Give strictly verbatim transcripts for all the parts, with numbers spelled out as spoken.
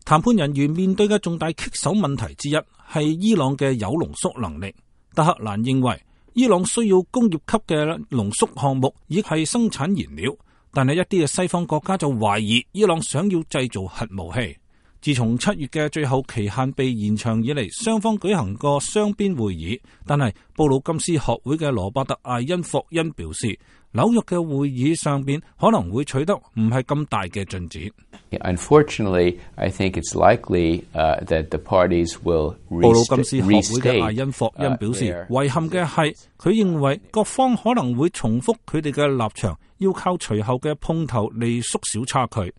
談判人員面對嘅重大棘手問題之一係伊朗嘅鈾濃縮能力。德黑蘭認為伊朗需要工業級嘅濃縮項目，以係生產燃料，但係一啲嘅西方國家就懷疑伊朗想要製造核武器。自從七月嘅最後期限被延長以嚟，雙方舉行過雙邊會議，但係布魯金斯學會嘅羅伯特艾因霍恩表示，紐約嘅會議上邊可能會取得唔係咁大嘅進展。Unfortunately, I think it's likely that the parties will restate. 布魯金斯學會嘅艾因霍恩表示，遺憾嘅係佢認為各方可能會重複佢哋嘅立場，要靠隨後嘅碰頭嚟縮小差距。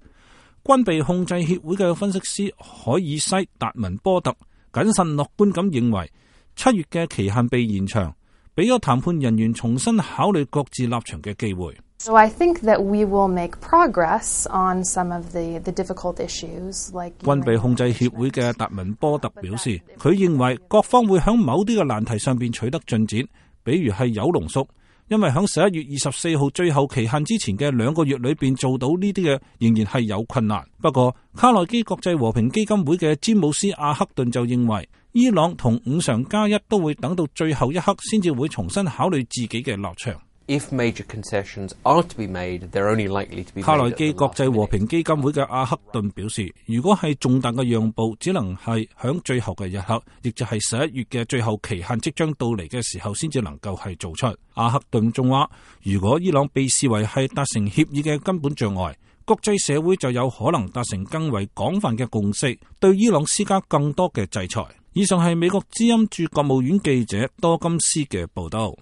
軍備控制協會嘅分析師海爾西達文波特謹慎樂觀咁認為，七月嘅期限被延長，俾咗談判人員重新考慮各自立場嘅機會。So I think that we will make progress on some of the the difficult issues, like 軍備控制協會嘅達文波特表示，佢認為各方會響某啲嘅難題上邊取得進展，比如係鈾濃縮。因為喺十一月二十四號最後期限之前嘅兩個月裏邊做到呢啲嘅，仍然係有困難。不過卡內基國際和平基金會嘅詹姆斯阿克頓就認為，伊朗同五常加一都會等到最後一刻先至會重新考慮自己嘅立場。If major concessions are to be made, they're only likely to be made. 卡內基國際和平基金會嘅阿克頓表示，如果係重大嘅讓步，只能係響最後嘅一刻，亦就係十一月嘅最後期限即將到嚟嘅時候，先至能夠係做出。阿克頓仲話，如果伊朗被視為係達成協議嘅根本障礙，國際社會就有可能達成更為廣泛嘅共識，對伊朗施加更多嘅制裁。以上係美國之音駐國務院記者多金斯嘅報道。